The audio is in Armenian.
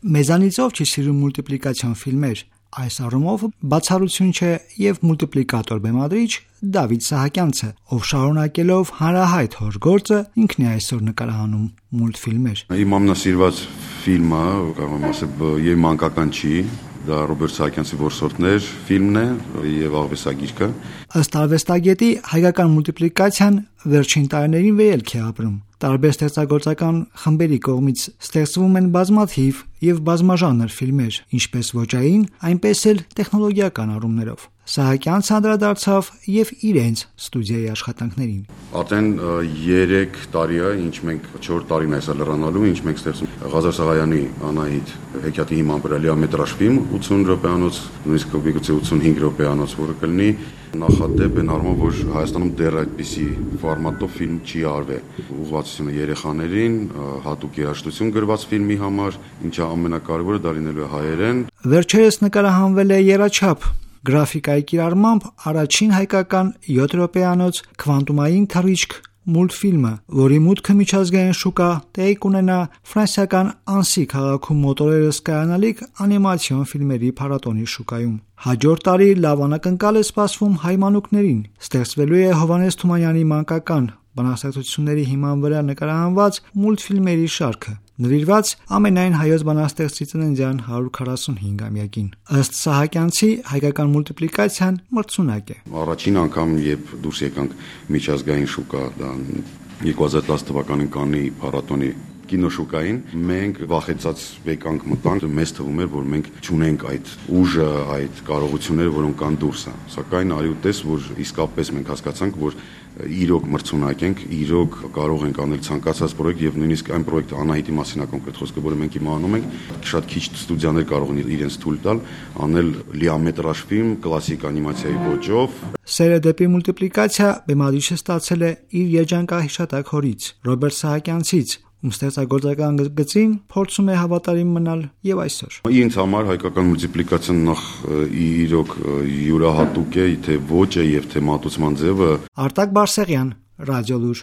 Մեզանից ով չի սիրում մուլտիպլիկացիոն ֆիլմեր։ Այս առումով բացառություն չէ եւ մուլտիպլիկատոր բեմադրիչ Դավիթ Սահակյանցը, ով շարունակելով հանրահայտ հոր գործը ինքն է այսօր նկարահանում մուլտֆիլմեր։ Իմ ամենասիրված ֆիլմը, կարող եմ ասել, եւ մանկական չի, դա Ռոբերտ Սահակյանցի «Որսորդներ» ֆիլմն է եւ աղվեսագիրքը։ Ըստ արվեստագետի, հայկական մուլտիպլիկացիան վերջին տարիներին վերելք է ապրում։ Տարբեր ստեղծագործական խմբերի կողմից ստեղծվում են բազմաթիվ եւ բազմաժանր ֆիլմեր, ինչպես ոճային, այնպես էլ տեխնոլոգիական առումներով։ Սահակյանցը անդրադարձավ եւ իրենց ստուդիայի աշխատանքներին։ Արդեն 3 տարի է, ինչ մենք 4 տարին է լրանալու, ինչ մենք ստեղծում Ղազար Սաղայանի Անահիտ հեքիաթի հիման վրա լիամետրաժ ֆիլմ 80 րոպեանոց, նույնիսկ գուցե 85 րոպեանոց, որը կլինի նախադեպ են առումով, որ Հայաստանում դեռ այդպիսի ֆորմատով ֆիլմ չի արվել։ Ուղղվածությունը երեխաներին, հատուկ երաժշտություն գրված ֆիլմի համար, ինչը ամենակարևորը դա լինելու է հայերեն։ Վերջերս նկարահանվել է եռաչափ գրաֆիկայի կիրառմամբ առաջին հայկական 7 րոպեանոց քվանտումային թռիչք մուլտֆիլմը, որի մուտքը միջազգային շուկա տեղի կունենա ֆրանսիական Անսի քաղաքում մոտորերս կայանալիք անիմացիոն ֆիլմերի փառատոնի շուկայում։ Հաջորդ տարի լավ անակնկալ է սպասվում հայ մանուկներին։ Ստեղծվելու է Հովհաննես Թումանյանի մանկական բանաստեղծությունների հիման վրա նկարահանված մուլտֆիլմերի շարքը, նվիրված ամենայն հայոց բանաստեղծի ծննդյան 145-ամյակին։ Ըստ Սահակյանցի, հայկական մուլտիպլիկացիան մրցունակ է։ Առաջին անգամ, երբ դուրս եկանք միջազգային շուկա, դա 2010 թվականին Կաննի փառատոնի կինոշուկային, մենք վախեցած եկանք մտանք, մեզ թվում էր, որ մենք չունենք այդ ուժը, այդ կարողությունները, որոնք կան դուրսը։ Սակայն արի ու տես, որ իսկապես մենք հասկացանք, որ իրոք մրցունակ ենք, իրոք կարող ենք անել ցանկացած պրոյեկտ եւ նույնիսկ այն պրոյեկտը Անահիտի մասին է կոնկրետ խոսքը, որը մենք հիմա անում ենք, շատ քիչ ստուդիաներ կարող են իրենց թույլ տալ անել լիամետրաժ ֆիլմ կլասիկ անիմացիայի ոճով։ Սերը դեպի մուլտիպլիկացիա բեմադրիչը ստացել է իր երջանկահիշատակ հորից Ռոբերտ Սահակյանցից, ում ստեղծագործական գծին փորձում է հավատարիմ մնալ եւ այսօր։ Ինձ համար հայկական մուլտիպլիկացիան նախ իրոք յուրահատուկ է, թե ոճը եւ թե մատուցման ձևը։ Արտակ Բարսեղյան, Ռադիոլուր։